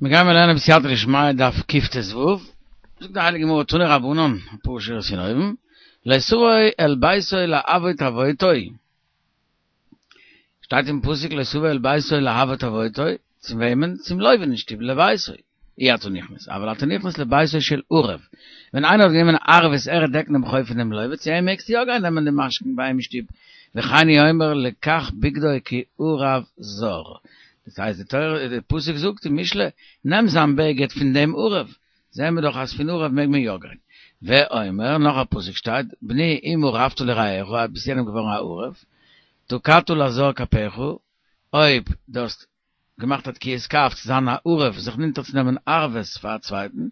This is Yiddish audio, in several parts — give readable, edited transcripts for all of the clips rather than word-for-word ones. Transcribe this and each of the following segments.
מיר גיימער לערנען בסייעתא דשמיא דף קט"ו, זאגט די הייליגע גמרא תנו רבנן, אפאר שורות פון אויבן, לא תבוא אל ביתו להוות עבודתו, שטייט אין פסוק לא תבוא אל ביתו להוות עבודתו, צום וועמען? צום לוה אין שטוב לביתו, אי אתה נכנס, אבל אתה נכנס לביתו של ערב, ווען איינער האט גענומען ערבות ער וועט דעקן דעם חוב פון דעם לוה, צו אים מעגסטו יא גיין נעמען די משכון ביי אים אין שטוב, וכן הוא אומר לקח בגדו כי ערב זר, דאס הייסט די תורה די פסוק זאגט אין משלי נעם זיין בגד פון דעם ערב, זעהן מיר דאך אז פון ערב מעג מען יא גיין. ואומר, נאך א פסוק שטייט, בני אם ערבת לרעך, אויב ביסט יענעם געווארן א ערב, תקעת לזר כפיך, אויב דו האסט געמאכט א תקיעת כף צו זיין א ערב זיך אונטערצונעמען ערבות פאר א צווייטן,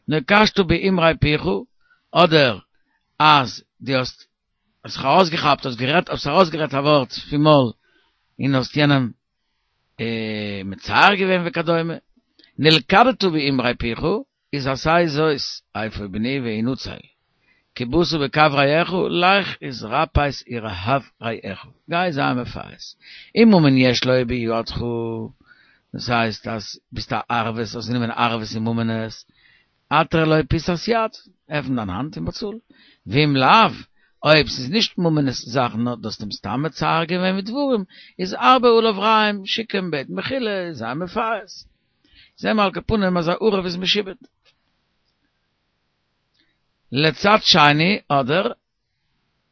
נקשת באמרי פיך, אדער אז דו האסט זיך ארויסגעכאפט, האסט גערעדט, האסט ארויסגערעדט א ווארט פון מויל און האסט יענעם מצער געווען וכדומה, נלכדת באמרי פיך, איז עשה זאת, אפוא בני והנצל, כי באת בקו רעך, לך התרפס ורהב רעך, גיי זיי מפייס, אם ממון יש לו בידך, דאס הייסט אז ביסט א ערבות, האסט גענומען ערבות אין ממונות, התר לו פיסת יד, עפן דיין האנט און באצאל. ואם לאו, אויב ס'איז נישט ממונות זאכן נאר דו האסט אים סתם מצער געווען מיט דברים, איז הרבה עליו רעים, שיק אים בעטן מחילה, זיי מפייס. זעהן מיר על כל פנים אז א ערב איז משועבד. לצד שני, אדער,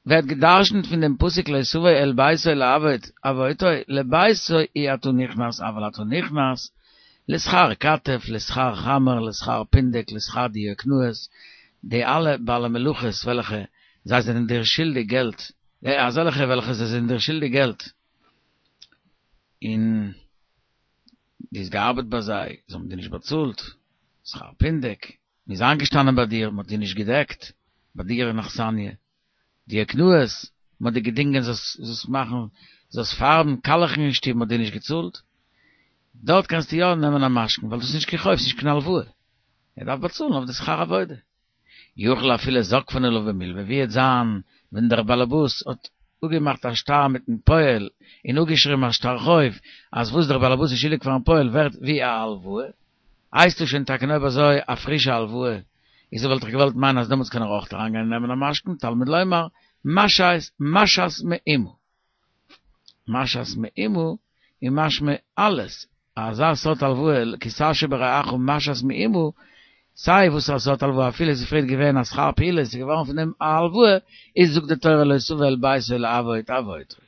ווערט גע'דרש'נט פון דעם פסוק לא תבוא אל ביתו להוות עבודתו, לביתו אי אתה נכנס אבל אתה נכנס, לשכר כתף, לשכר חמר, לשכר פונדק, לשכר דיוקנאות, די אלע בעלי מלאכות וועלכע זיי זענען דיר שולדיג געלט, אזעלכע וועלכע זיי זענען דיר שולדיג געלט, און דו האסט געארבעט ביי זיי, זיי האבן דיר נישט באצאלט, שכר פונדק, מען איז איינגעשטאנען ביי דיר, מען האט דיר נישט געדעקט, ביי דיר אין אכסניא, דיוקנאות, מען האט דיר געדינגען זאלסט מאכן, זאלסט פארבן, קאלעכן אין שטוב, מען האט דיר נישט געצאלט, דארט קענסטו יא נעמען א משכון, ווייל דאס איז נישט קיין חוב, ס'איז נישט קיין הלוואה, ער דארף באצאלן אויף די שכר עבודה. יכול אפילו זוקפין עליו במלוה, ווי וועט זיין ווען דער באלעבאס האט אפגעמאכט א שטר מיטן פועל און אפגעשריבן א שטר חוב אז וואס דער באלעבאס איז שולדיג פארן פועל ווערט ווי א הלוואה, הייסט עס שוין טאקע אויב אזוי א פרישע הלוואה, איז וואלט איך געוואלט מיינען אז דעמאלטס קען ער אויך אריינגיין און נעמען א משכון, תלמוד לומר, משאת משאת מאומה. משאת מאומה איז משמע אלעס, אזא סארט הלוואה, כי תשא ברעך משאת מאומה, סיי וואס א סארט הלוואה אפילו עס איז פריערט געווען א שכר פעולה עס איז געווארן פון דעם א הלוואה, איז זאגט די תורה לא תבוא אל ביתו להוות עבודתו.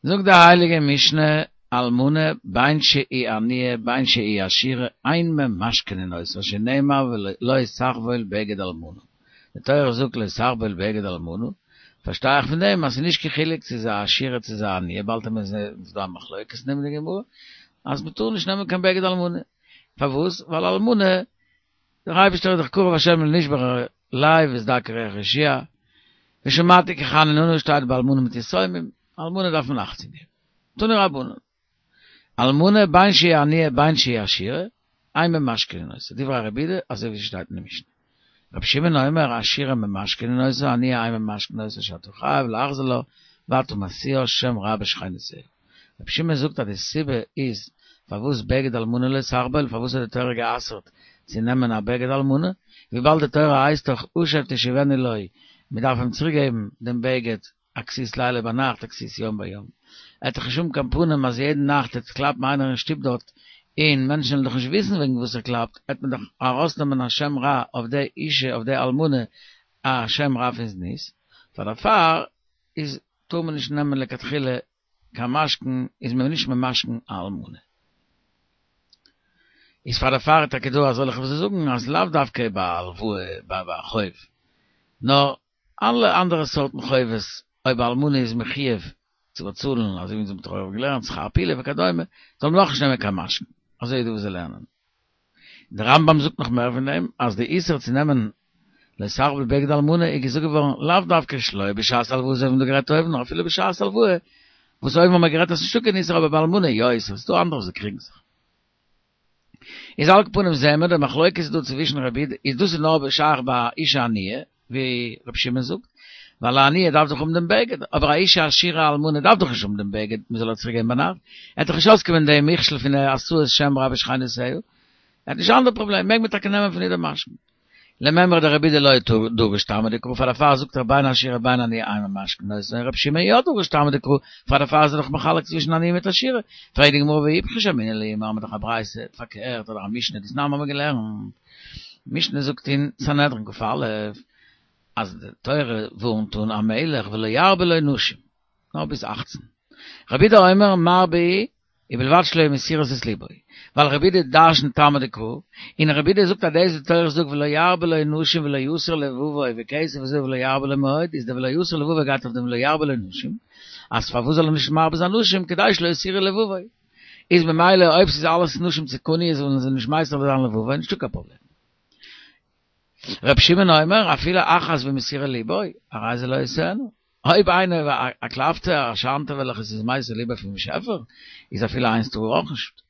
זאגט די הייליגע משנה, אלמנה בין שהיא עניה בין שהיא עשירה אין ממשכנין אותה שנאמר ולא תחבול בגד אלמנה, די תורה זאגט לא תחבול בגד אלמנה, פארשטיי איך פון דעם אז ס'איז נישט קיין חילוק צו ס'איז א עשירה צו ס'איז א עניה, באלד וועט מען זען ס'איז דא א מחלוקת אין דעם אין די גמרא, אז מ'טאר נישט נעמען קיין בגד אלמנה, פארוואס? ווייל אלמנה דער אייבערשטער איז דאך קרוב השם לנשברי לב וסדקי רוח יושיע, ושמעתי כי חנון אני שטייט ביי אלמנה מיט יתומים, אלמנה דארף מען אכטונג געבן. תנו רבנן, אלמנה בין שהיא עניה בין שהיא עשירה, אין ממשכנין אותה, דברי רבי יהודה אזוי ווי ס'שטייט אין די משנה. רבי שמעון אומר עשירה ממשכנין אותה עניה אין ממשכנין אותה שאתה חייב להחזיר לה ואתה משיאה שם רע בשכנותיה. רבי שמעון זאגט אז די סיבה איז פארוואס בגד אלמנה לא תחבול, פארוואס האט די תורה גע'אסר'ט צו נעמען א בגד אלמנה, וויבאלד די תורה הייסט דאך השב תשיבנו לו, מען דארף אים צוריק געבן דעם בגד א כסות לילה ביינאכט א כסות יום ביום, ער וועט דאך נישט האבן קיין פנים אז יעדן נאכט וועט קלאפן איינער אין שטוב דארט און מענטשן וועלן דאך נישט וויסן וועגן וואס ער קלאפט, וועט מען דאך ארויסנעמען א שם רע אויף די אישה אויף די אלמנה א שם רע פון זנות, פאר דערפאר איז טאר מען נישט נעמען לכתחילה קיין משכון איז מען נישט ממשכן א אלמנה. איז פאר דערפאר איז טאקע דא אזעלכע וואס זאגן אז לאו דווקא ביי א הלוואה ביי א חוב נאר אלע אנדערע סארטן חובות אויב א אלמנה איז מחויב צו באצאלן אזוי ווי אונז האבן דאך געלערנט שכר פעולה וכדומה זאל מען אויך נישט נעמען קיין משכון אזוי איז דא וואס זיי לערנען. דער רמב"ם זאגט נאך מער פון דעם, אז די איסור צו נעמען לא תחבול בגד אלמנה איז געזאגט געווארן לאו דווקא שלא בשעת הלוואה אזוי ווי מ'האט דא גערעדט אויבן, נאר אפילו בשעת הלוואה, וואס אויבן האט מען גערעדט אז ס'נישטא קיין איסור אבער ביי אלמנה יא איסור, ס'דא אנדערע וואס קריגן זיך. איז על כל פנים זעהן מיר די מחלוקת איז דא צווישן רבי יהודה, איז דאס איז נאר שייך ביי אישה עניה, ווי רבי שמעון זאגט. ווייל א עניה דארף דאך האבן דעם בגד, אבער א אשה עשירה אלמנה דארף דאך נישט האבן דעם בגד מען זאל איר צוריק געבן ביינאכט, ער וועט דאך נישט אויסקומען דעם מכשול פון התראת שם רע בשכנותיה, ער האט נישט אנדערע פראבלעם, מעג מען טאקע נעמען פון איר דעם משכון. למימרא דרבי יהודה לא דריש טעמא דקרא פאר דערפאר זאגט ער בין עשירה בין עניה אין ממשכנין אותן רבי שמעון יא דריש טעמא דקרא פאר דערפאר איז ער דאך מחלק צווישן עניה מיט עשירה פרעגט די גמרא ואיפכא שמעינן להו מיר האבן דאך א ברייתא פארקערט אדער א משנה דתנן האבן מיר געלערנט משנה זאגט אין סנהדרין כ"א אז די תורה ווארנט אן א מלך ולא ירבה לו נשים נאר ביז אכצן. רבי יהודה אומר מרבה ובלבד שלא יהיו מסירות את ליבו. ווייל רבי יהודה דרשנט טעמא דקרא, און רבי יהודה זאגט אז דאס וואס די תורה זאגט ולא ירבה לו נשים ולא יסור לבבו וכסף וזהב ולא ירבה לו מאוד, איז די ולא יסור לבבו גייט אויף דעם ולא ירבה לו נשים, אז פארוואס זאל ער נישט מרבה זיין נשים כדי שלא יסירו לבבו. איז ממילא אויב ס'איז אלעס נשים צדקניות זאלן זיי נישט מסיר זיין לבבו, נישטא קיין פראבלעם. ר' שמעון אומר אפילו אחת ומסירה ליבו, הרי זה לא ישאנה. אויב איינער א קלפתא א שאנתא וועלכע ס'איז מסיר ליבו פון באשעפער, איז אפילו איינס טאר ער אויך נישט.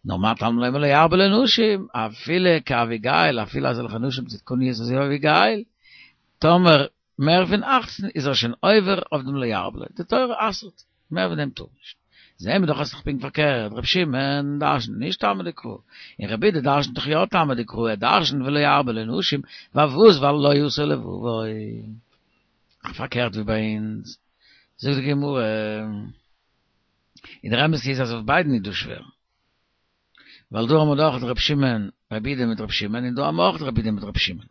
נאר מה תלמוד לומר לא ירבה לו נשים, אפילו כאביגיל, אפילו אזעלכע נשים צדקניות אזוי ווי אביגיל, טאמער מער פון אכצן איז ער שוין עובר אויף דעם לא ירבה לו, די תורה אסר'ט, מער פון דעם טאר מען נישט. זעהן מיר דאך אז ס'איז פונקט פארקערט, ר' שמעון דרש'נט נישט טעמא דקרא, און רבי יהודה דרש'נט דאך יא טעמא דקרא, ער דרש'נט ולא ירבה לו נשים, פארוואס? ווייל לא יסור לבבו. פארקערט ווי ביי אונז. זאגט די גמרא, און דער אמת איז אז אויף ביידן איז דא שווער. ווייל דא האבן מיר דאך ר' שמעון, רבי יהודה מיט ר' שמעון, און דא האבן מיר אויך רבי יהודה מיט ר' שמעון.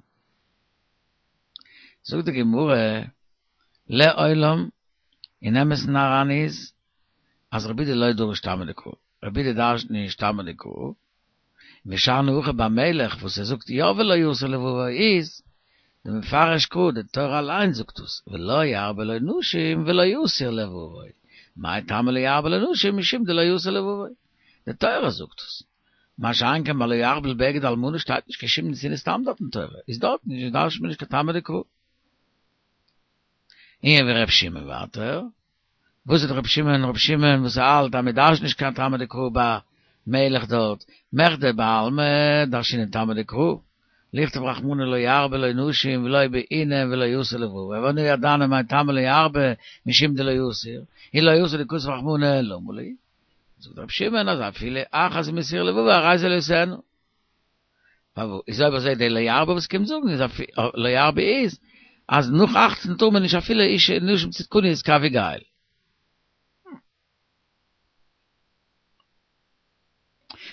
זאגט די גמרא, לעולם, אין אמת'ן אריין איז, אז רבי יהודה לא דריש טעמא דקרא, רבי יהודה דרש'נט נישט טעמא דקרא, ושאני הכא במלך וואס ער זאגט יא ולא יסור לבבו איז, דמפרש קרא, די תורה אליין זאגט דאס, ולא ירבה לו נשים ולא יסור לבבו, מאי טעמא לא ירבה לו נשים משום דלא יסור לבבו, די תורה זאגט דאס. מה שאין כן ביי לא יחבל בגד אלמנה שטייט נישט קיין שום נתינת טעם דארט אין תורה, איז דארט נישט דרש'נט מען נישט קיין טעמא דקרא. און ווי ר' שמעון ווייטער, וואס איז ר' שמעון ר' שמעון וואס האלט אז מען דרש'נט נישט קיין טעמא דקרא ביי מלך דארט, מכדי בעלמא דרשינן טעמא דקרא, לכתוב רחמנא לא ירבה לו נשים ולא בעינן ולא יסור לבבו, ואנא ידענא מאי טעמא לא ירבה משום דלא יסור, אי לא יסור דכתב רחמנא למה לי? זאגט רבי שמעון אז אפילו אחת ומסירה לבבו הרי זה לא ישאנה. פארוואס איז אויב אזוי די לא ירבה וואס קומט זאגן איז לא ירבה איז אז נאך אכצן טאר מען נישט אפילו אשה נשים צדקניות כאביגיל.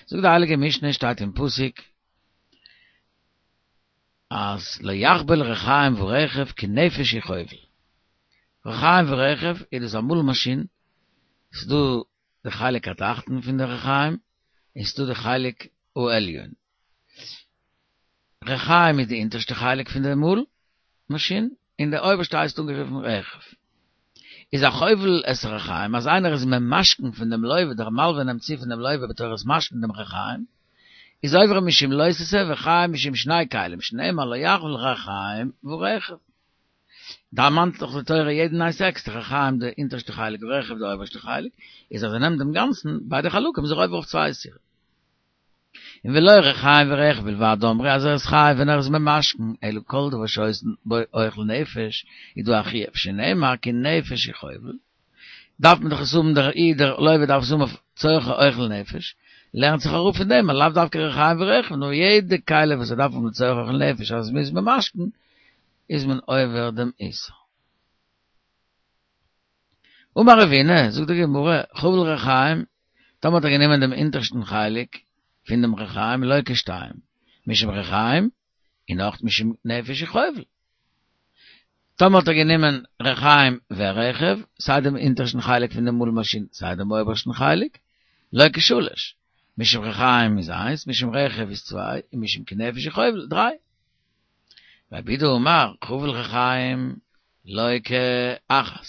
זאגט די הייליגע משנה שטייט אין פסוק אז לא יחבל רחיים ורכב כי נפש הוא חובל. רחיים ורכב איז דאס א מאל מאשין, ס'איז דא די חלק התחתון פון די רחיים און ס'איז דא די חלק העליון. רחיים איז די אונטערשטע חלק פון די מאל מאשין און די אויבערשטע הייסט אנגערופן רכב. איז החובל את הרחיים אז איינער איז ממשכן פון דעם לוה, דער מלווה נעמט צו פון דעם לוה בתורת משכון דעם רחיים, איז עובר משום לא תעשה וחייב משום שני כלים שנאמר לא יחבל רחיים ורכב. דערמאנט דאך די תורה יעדן איינס עקסטער, רחיים די אונטערשטע חלק רכב די אויבערשטע חלק, איז אז ער נעמט דעם גאנצן, ביידע חלקים איז ער עובר אויף צוויי איסורים. און ולא רחיים ורכב בלבד אמרו אז ער איז חייב ווען ער איז ממשכן, אלא כל דבר שעושין בו אוכל נפש, איז דא א חיוב שנאמר כי נפש הוא חובל, דארף מען דאך עס האבן דער איד דער לוה דארף עס האבן אויף צורכי אוכל נפש, לערנט זיך אראפ פון דעם אז לאו דווקא רחיים ורכב נאר יעדע כלי וואס ער דארף האבן לצורך אוכל נפש אז מ'איז ממשכן איז מען עובר דעם איסור. אמר רבינא, זאגט די גמרא, חבל רחיים, טאמער האט ער גענומען דעם אונטערשטן חלק פון דעם רחיים לוקה שתיים, משום רחיים און אויך משום נפש הוא חובל. טאמער האט ער גענומען רחיים ורכב, סיי דעם אונטערשטן חלק פון דעם מאל מאשין סיי דעם אויבערשטן חלק, לוקה שלש, משום רחיים איז איינס, משום רכב איז צוויי, און משום כי נפש הוא חובל דריי. רב יהודה אמר, חבל רחיים לוקה אחת.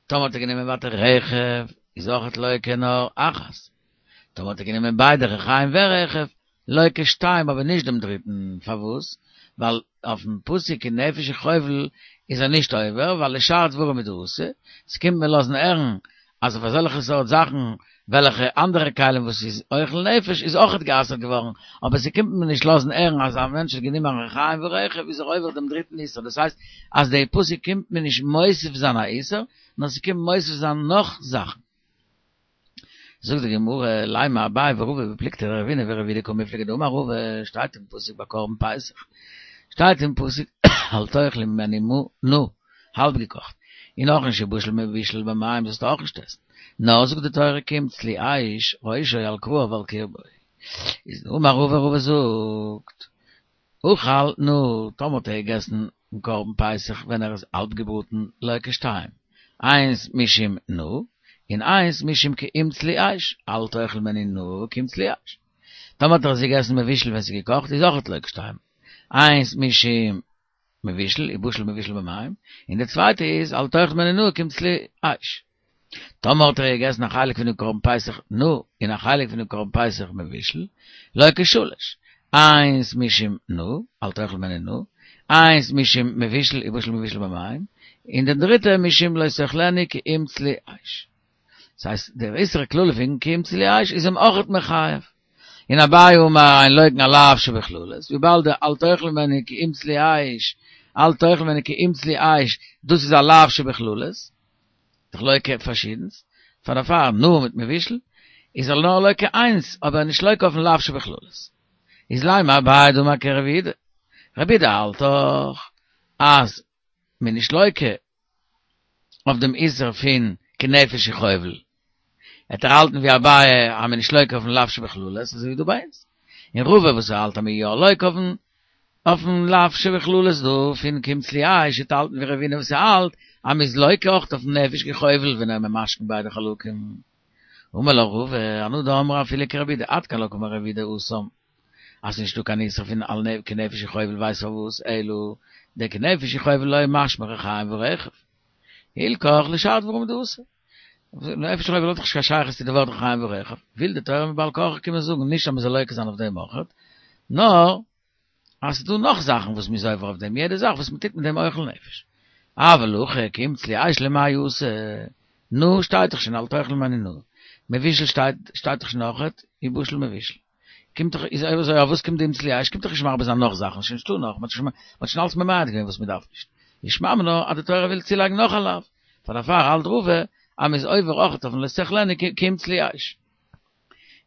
טאמער האט ער גענומען ווייטער רכב, איז אויכעט לוקה נאר אחת. טאמער האט ער גענומען ביידע רחיים ורכב, לוקה שתיים אבער נישט דעם דריטן, פארוואס? ווייל אויפן פסוק כי נפש הוא חובל איז ער נישט עובר, ווייל לשאר דברים הוא דאתא, ס'קומט מיר לאזן הערן אז אויף אזעלכע סארט זאכן וועלכע אנדערע כלים וואס איז אוכל נפש איז אויכעט גע'אסר'ט געווארן, אבער ס'קומט מיר נישט לאזן הערן אז א מענטש האט גענומען א רחיים ורכב איז ער עובר דעם דריטן איסור, דאס הייסט אז די פסוק קומט מיר נישט מוסיף זיין א איסור, נאר ס'קומט מוסיף זיין נאך זאכן. זאגט די גמרא, לימא אביי ורבא בפלוגתא דרבינא ורב יהודה קמיפלגי דאמר רבא, שטייט אין פסוק ביי קרבן פסח, שטייט אין פסוק אל תאכלו ממנו נא, האלב געקאכט, און אויך נישט ובשל מבושל במים זאלסטו אויך נישט עסן, נאר זאגט די תורה כי אם צלי אש ראשו על כרעיו ועל קרבו, איז אמר רבא רבא זאגט, אכל נא, טאמער האט ער געגעסן דעם קרבן פסח ווען ער איז האלב געבראטן לוקה שתיים, איינס משום נא, און איינס משום כי אם צלי אש, אל תאכל ממנו נא כי אם צלי אש. טאמער האט ער עס געגעסן מבושל ווען ס'איז געקאכט איז אויכעט לוקה שתיים, איינס משום מבושל, ובשל מבושל במים, און די צווייטע איז אל תאכל ממנו נא כי אם צלי אש. טאמער האט ער געגעסן א חלק פונעם קרבן פסח נא און א חלק פונעם קרבן פסח מבושל, לוקה שלש, איינס משום נא, אל תאכל ממנו נא, איינס משום מבושל ובשל מבושל במים, און די דריטע משום לא תאכלנו כי אם צלי אש. דאס הייסט דער איסור כללי פון כי אם צלי אש איז אים אויכעט מחייב. און אביי אמר אין לוקין על לאו שבכללות, וויבאלד די אל תאכל ממנו כי אם צלי אש, אל תאכל ממנו כי אם צלי אש, דאס איז א לאו שבכללות, דאך לוקה פארשידנס, פאר דערפאר נא מיט מבושל, איז ער נאר לוקה איינס, אבער נישט לוקה אויפן לאו שבכללות. איז לימא אביי דאמר כרבי יהודה. רבי יהודה האלט דאך אז מען נישט לוקה אויף דעם איסור פון כנפש הוא חובל. וועט ער האלטן ווי אביי אז מען נישט לוקה אויפן לאו שבכללות, אזוי ווי דא ביי אונז. און רבא וואס ער האלט אז מען יא לוקה אויפן אויפן לאו שבכללות דא פון כי אם צלי אש וועט האלטן ווי רבינא וואס ער האלט אז מ'איז לוקה אויך אויפן נפש כי חובל ווען ער ממשכן ביידע חלקים. אמר לך רבא, אנא דאמרי אפילו כרבי יהודה עד כאן לא קאמר רבי יהודה התם אז ס'נישט דא קיין איסור פון על כנפש הוא חובל ווייסט פארוואס אלא דכנפש הוא חובל לא משמע רחיים ורכב הלכך לשאר דברים דאסור. נפש כי חובל האט דאך נישט קיין שייכות צו די ווארט רחיים ורכב, וויל די תורה מבעל כרחך קומען זאגן נישט אז מ'זאל לוקה זיין אויף דעם אויכעט, נאר אז ס'איז דא נאך זאכן וואס מ'איז עובר אויף דעם, יעדע זאך וואס מ'טוט מיט דעם אוכל נפש. אבל הכא כי אם צלי אש למאי אתא, נא שטייט דאך שוין אל תאכל ממנו נא, מבושל שטייט שטייט דאך שוין אויכעט, ובשל מבושל. קומט דאך איז אויב אזוי אויף וואס קומט די אם צלי אש קומט דאך נישט מרבה זיין נאך זאכן, שוין נישטא נאך, מ'האט שוין אלץ ממעט געווען וואס מ'דארף נישט. איז שמע מינה אז די תורה וויל צולייגן נאך א לאו, פאר דערפאר האלט רבא אז מ'איז עובר אויכעט אויפן לא תאכלנו כי אם צלי אש.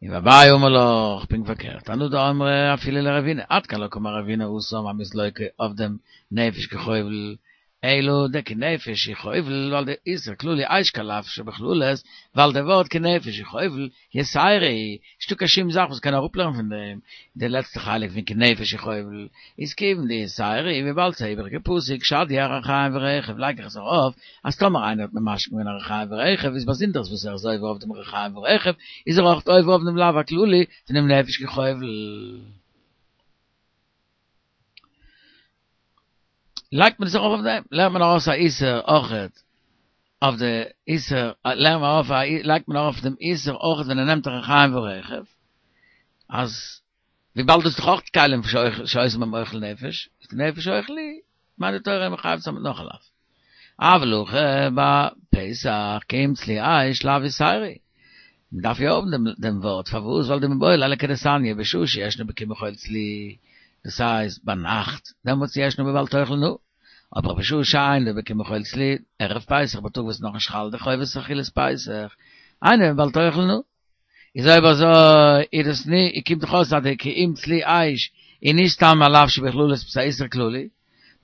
און ואביי אמר לך, פונקט פארקערט, אנא דאמרי אפילו לרבינא, עד כאן לא קאמר רבינא התם אז מ'איז לוקה אויף דעם נפש כי חובל, אלא דכנפש הוא חובל ווייל די איסור כללי אש כלאו שבכללות, ווייל די ווארט כנפש הוא חובל, יתירא היא, נישטא קיין שום זאך וואס קען אראפלערנען פון דעם, די לעצטע חלק פון כנפש הוא חובל איז כיוון דיתירא היא וויבאלד ס'איז א איבעריגע פסוק שדי אריחיים ורכב לייג איך עס ארויף אז טאמער איינער האט ממשכן געווען א ריחיים ורכב איז באזונדערס וואס ער איז עובר אויף דעם ריחיים ורכב איז ער אויך עובר אויף דעם לאו הכללי פונעם נפש כי חובל. לייגט מען עס ארויף אויף דעם, לערנט מען ארויס א איסור אויכעט אויף די איסור, לערנט מען ארויף א, לייגט מען ארויף דעם איסור אויכעט ווען ער נעמט ריחיים ורכב, אז וויבאלד דאס איז דאך אויך כלים שעושים בהם אוכל נפש, איז כנפש אוכל הוא, מיינט די תורה מחייב צו זיין מיט נאך א לאו. אבל הכא בפסח כי אם צלי אש לאו יתירא. מען דארף יא האבן דעם דעם ווארט, פארוואס? ווייל דמיבעי ליה לכדתניא בשעה שישנו בקמחול צלי, דאס הייסט ביינאכט, דעמאלטס ישנו בבל תאכל נא, אבער בשעה שאינו בקמחול צלי, ערב פסח בייטאג וואס איז נאכנישט חל די חובת אכילת פסח, אינו בבל תאכל נא. איז אויב אזוי איז דאס ני, קומט דאך אויס אז די כי אם צלי אש איז נישט סתם א לאו שבכללות עפעס א איסור כללי,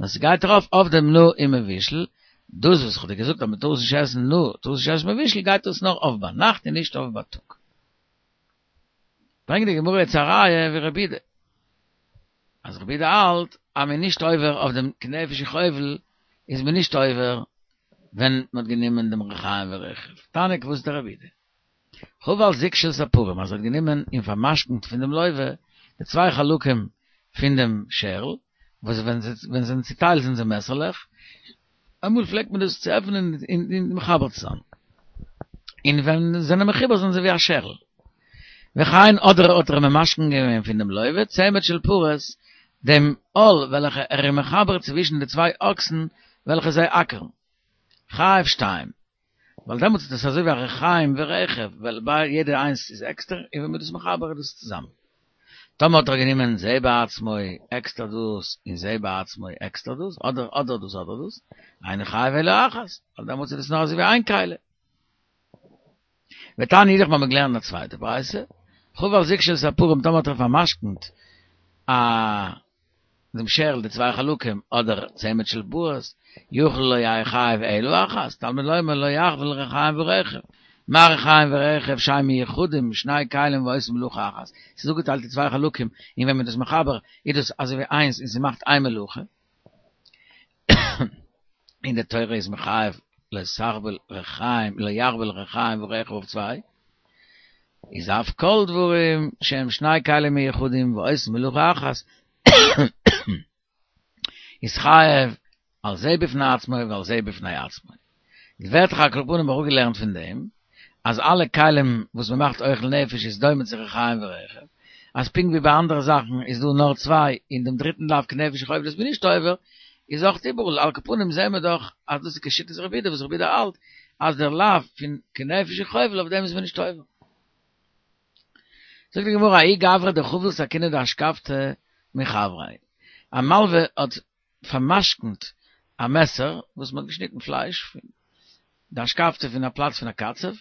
נאר ס'גייט ארויף אויף דעם נא און מבושל, דאס וואס כ'האב דיר געזאגט אז מ'טאר עס נישט עסן נא, טאר עס נישט עסן מבושל, גייט דאס נאר אויף ביינאכט און נישט אויף בייטאג. ברענגט די גמרא יעצט א ראיה ווי רבי יהודה, אז רבי יהודה האלט אז מ'איז נישט עובר אויף דעם כנפש הוא חובל, איז מען נישט עובר ווען מ'האט גענומען דעם ריחיים ורכב. תניא כוותיה דרבי יהודה. חבל זוג של ספרים אז ער האט גענומען און פארמשכנ'ט פון דעם לוה די צוויי חלקים פון דעם שערל, וואס ווען זיי ווען זיי זענען צוטיילט זענען זיי מעסערלעך, אמאל פלעגט מען דאס צו עפענען און מחבר צו זיין, און ווען זיי זענען מחובר זענען זיי ווי א שערל. וכן אדער האט ער ממשכן געווען פון דעם לוה צמד של פרות, דעם עול וועלכע ער איז מחבר צווישן די צוויי אקסן וועלכע זיי אקערן. חייב שתיים. ווייל דעמאלטס איז דאס אזוי ווי א רחיים ורכב, ווייל ביי יעדע איינס איז עקסטער, און ווען מ'איז דאס מחבר איז דאס צוזאמען. טאמער האט ער גענומען זה בעצמו עקסטער דאס און זה בעצמו עקסטער דאס, אדער אדער דאס אדער דאס, אינו חייב אלא אחת, ווייל דעמאלטס איז דאס נאר אזוי ווי איין כלי. ותניא אידך מ'האבן געלערנט א צווייטע ברייתא, חבל זיג של ספרים טאמער האט ער פאר'משכנ'ט א דעם שערל די צוויי חלקים אדער צמד של פרות, יכול לא יהא חייב אלא אחת, תלמוד לומר לא יחבל רחיים ורכב, מה רחיים ורכב שהן מיוחדים שני כלים ועושים מלאכה אחת, ס'איז אפגעטיילט אין צוויי חלקים און ווען מ'איז דאס מחבר איז דאס אזוי ווי איינס און ס'מאכט איין מלאכה. און די תורה איז מחייב לא תחבל רחיים לא יחבל רחיים ורכב אויף צוויי, איז אף כל דברים שהם שני כלים מיוחדים ועושים מלאכה אחת איז חייב על זה בפני עצמו ועל זה בפני עצמו. ווערט דאך על כל פנים אראפגעלערנט פון דעם אז אלע כלים וואס מען מאכט אוכל נפש איז דומה צו רחיים ורכב, אז פונקט ווי ביי אנדערע זאכן איז דא נאר צוויי און דעם דריטן לאו כנפש חובל איז מען נישט עובר, איז אויך איבעראל, על כל פנים זעהן מיר דאך אז דאס איז כשיטת רבי יהודה וואס רבי יהודה האלט אז דער לאו פון כנפש חובל אויף דעם איז מען נישט עובר. זאגט די גמרא ההוא גברא דחביל סכינא דאשכבתא מחבריה, א מלווה האט פאר'משכנ'ט א מעסער וואס מ'האט געשניטן פלייש פון דאשכבתא פון א פלאץ פון א קצב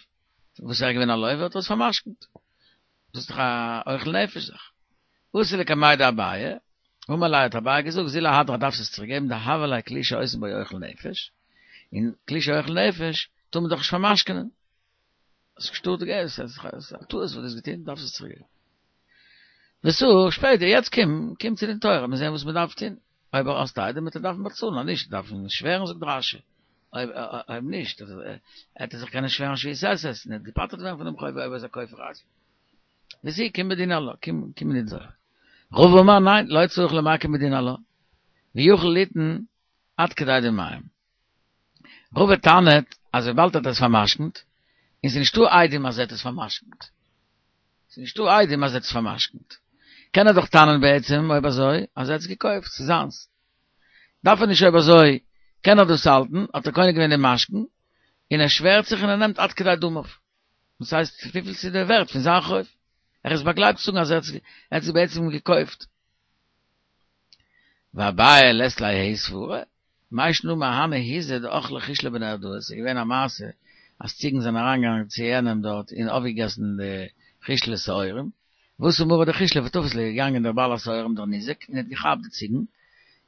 וואס ער איז געווען א לווה האט ער עס פאר'משכנ'ט, דאס איז דאך א אוכל נפש זאך. אתא לקמיה דאביי, אמר ליה האט אביי געזאגט זיל אהדרה דארפסט עס צוריק געבן דהוה ליה כלי שעושים בו אוכל נפש, און כלי שאוכל נפש טאר מען דאך נישט פאר'משכנ'ען. האסט געשטארט געלט, ס'איז א טעות וואס דו האסט געטון, דארפסט עס צוריק געבן. ותא, שפעטער, יעצט קום, קום צו דין תורה, מיר זעען וואס מען דארף טון. אויב האסט עדים וועט ער דארפן באצאלן, אז נישט דארף מען שווערן זאגט רש"י. אויב אויב נישט, וועט ער זיך קענען שווערן שבועת עשות, און ער וועט געפטר'ט ווערן פון דעם חוב אויב ער איז א כופר עצמו. ותא, קום בדין עלה, קום קום אין דין תורה. רבא אמר ניין, לא צריך למקי בדין עלה. ויכול ליתן עד כדי דמיהם. רבא טענה'ט אז וויבאלד ער האט עס פאר'משכנ'ט, און ס'איז נישטא עדים אז ער האט עס פאר'משכנ'ט, ס'איז נישטא עדים אז ער האט עס פאר'משכנ'ט, קען ער דאך טענה'ן בעצם אויב אזוי אז ער האט עס געקויפט, ס'איז זיינס. דארף ער נישט אויב אזוי קען ער דאס האלטן, האט ער קונה געווען דעם משכון, און ער שווערט זיך און ער נעמט עד כדי דמיו. דאס הייסט וויפיל ס'איז דער ווערט פון זיין חוב. ער איז באגלייבט צו זאגן אז ער האט עס בעצם געקויפט. ואביי לית ליה ההיא סברה, מאי שנא מהני היזי דאכלי חישלא בנהרדעא, ס'איז געווען א מעשה אז ציגן זענען אריינגעגאנגען צו יענעם דארט און אויפגעגעסן די חישלא שעורים, ואתא מרא דחישלא ותפיס להו, איז געגאנגען דער בעל השעורים דער ניזק און האט געכאפט די ציגן,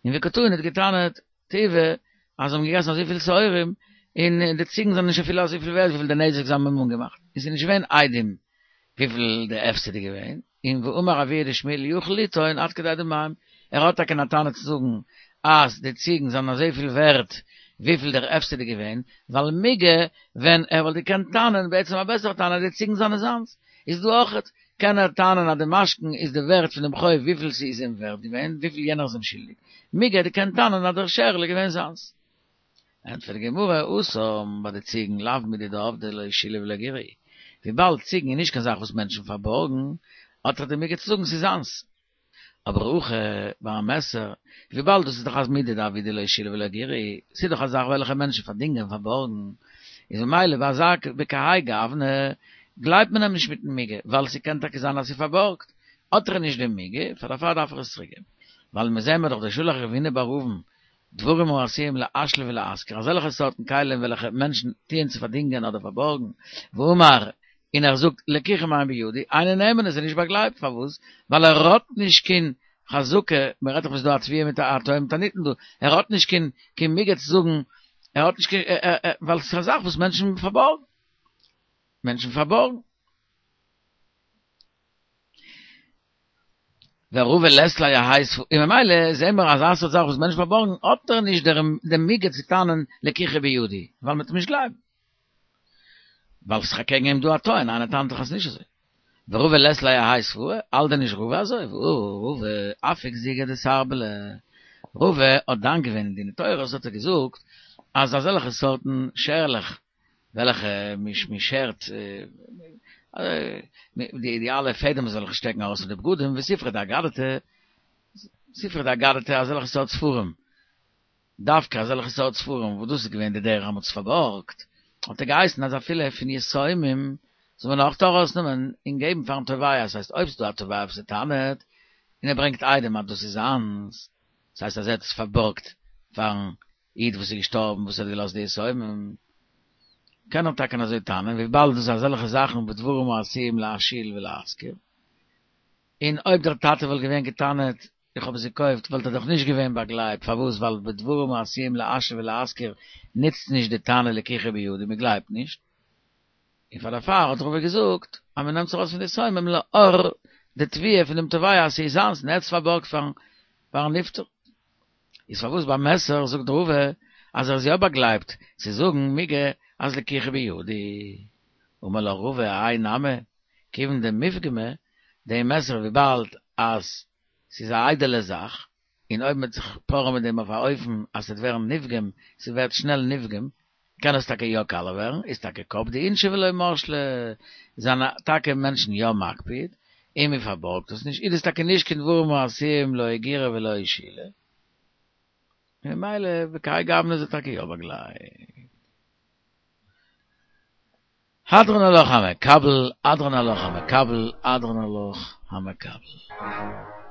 און וקא טעין האט געטענה'ט תיובתא אז זיי האבן געגעסן אזויפיל שעורים און די ציגן זענען נישט אפילו אזויפיל ווערט וויפיל די נזק זיי האבן אים אנגעמאכט, און ס'איז נישט געווען עדים וויפיל די הפסד איז געווען, און ואמר אבוה דשמואל יכול לטעון עד כדי דמיהם, ער האט טאקע א טענה צו זאגן אז די ציגן זענען אזויפיל ווערט וויפיל דער הפסד איז געווען, ווייל מיגו ווען ער וואלט געקענט טענה'ן בעצם א בעסערע טענה אז די ציגן זענען זיינס, איז דא אויכעט קען ער טענה'ן אז די משכון איז די ווערט פון דעם חוב וויפיל ס'איז אים ווערט געווען, וויפיל יענער איז אים שולדיג, מיגו ער קען טענה'ן אז דער שערל איז געווען זיינס. ענטפערט די גמרא, התם ביי די ציגן לאו מידי דעבדי לא שילוי ולא גירוי, וויבאלד ציגן איז נישט קיין זאך וואס מענטשן פארבארגן, האט ער די מיגו צו זאגן ס'איז זיינס. אבער הכא ביי א מעסער, וויבאלד דאס איז דאך א מידי דעבידי לא שילוי ולא גירוי, ס'איז דאך א זאך וועלכע מענטשן פארדינגען פארבארגן, איז ממילא ביי אזא בכהאי גוונא גלייבט מען אים נישט מיטן מיגו, ווייל ס'קען טאקע זיין אז ס'איז פארבארגט, האט ער נישט די מיגו, פאר דערפאר דארף ער עס צוריקגעבן. ווייל מיר זעען מיר דאך דשלח רב הונא בר אבין דברים העשויים להשאיל ולהשכיר, אזעלכע סארטן כלים וועלכע מענטשן טוען צו פארדינגען אדער פארבארגן, ואמר, און ער זאגט, לקוחים הן בידי, אינו נאמן איז ער נישט באגלייבט, פארוואס? ווייל ער האט נישט קיין חזקה, מען רעדט דאך וואס איז דא א תביעה מיט א טוען מיט א נטען דא, ער האט נישט קיין קיין מיגו צו זאגן, ער האט נישט קיין, ווייל עס איז א זאך וואס מענטשן פארבארגן, מענטשן פארבארגן. ורבא לית ליה האי סברא, און ממילא זעהן מיר אז אזא סארט זאך וואס מענטשן פארבארגן האט ער נישט דעם מיגו צו טענה'ן לקוחה בידי, ווייל מ'וועט אים נישט גלייבן. ווייל ס'איז אקעגן אים דא א טוען, איינער טענה'ט דאך אז ס'נישט אזוי. ורבא לית ליה האי סברא, האלט דען נישט רבא אזוי? והא רבא אפיק זיגא דסרבלי. רבא האט דן געווען אין דיני תורות האט ער געזאגט אז אזעלכע סארטן שערלעך וועלכע מ'שערט די אלע פעדעמס וועלכע שטעקן ארויס פון די בגדים, וספרי דאגדתא, ספרי דאגדתא אזעלכע סארט ספרים, דווקא אזעלכע סארט ספרים וואס דאס איז געווען די דרך אז מ'האט עס פארבארגט, האט ער געהייסן אז אפילו פון יתומים זאל מען אויך ארויסנעמען און געבן פארן תובע, עס הייסט אויב ס'איז דא א תובע וואס ער טענה'ט און ער ברענגט עדים אז דאס איז זיינס, דאס הייסט אז ער האט עס פארבארגט פארן איד וואס איז געשטארבן וואס האט געלאזט די יתומים, קען ער טאקע אזוי טענה'ן וויבאלד דאס איז אזעלכע זאכן בדברים העשויים להשאיל ולהשכיר, און אויב דער טאטע וואלט געווען געטענה'ט איך האב עס געקויפט וואלט ער דאך נישט געווען באגלייבט, פארוואס ווייל בדברים העשויים להשאיל ולהשכיר נוצט נישט די טענה לקיחה בידי, מען גלייבט נישט, און פאר דערפאר האט רבא געזאגט אז מען נעמט עס ארויס פון די יתומים לאור די תביעה פון דעם תובע אז ס'איז זיינס און ער האט עס פארבארגט פארן נפטר. איז פארוואס ביי מעשר זאגט רבא אז ער איז יא באגלייבט צו זאגן מיגו אז לקיחה בידי? אמר לך רבא האי נמי כיוון דמיפגמא, די מעסער וויבאלד אז ס'איז א איידעלע זאך, און אויב מ'וועט זיך פארען מיט דעם אויף א אופן אז ס'וועט ווערן נפגם, ס'ווערט שנעל נפגם, קען עס טאקע יא קאלע ווערן, איז טאקע קפדי אינשי ולא משלי, זענען טאקע מענטשן יא מקפיד, און מ'פארבארגט עס נישט, איז דאס טאקע נישט קיין דברים העשויים לא אגירה ולא שאילה, ממילא בכהאי גוונא איז ער טאקע יא באגלייבט. הדרן עלך המקבל, הדרן עלך המקבל, הדרן עלך המקבל.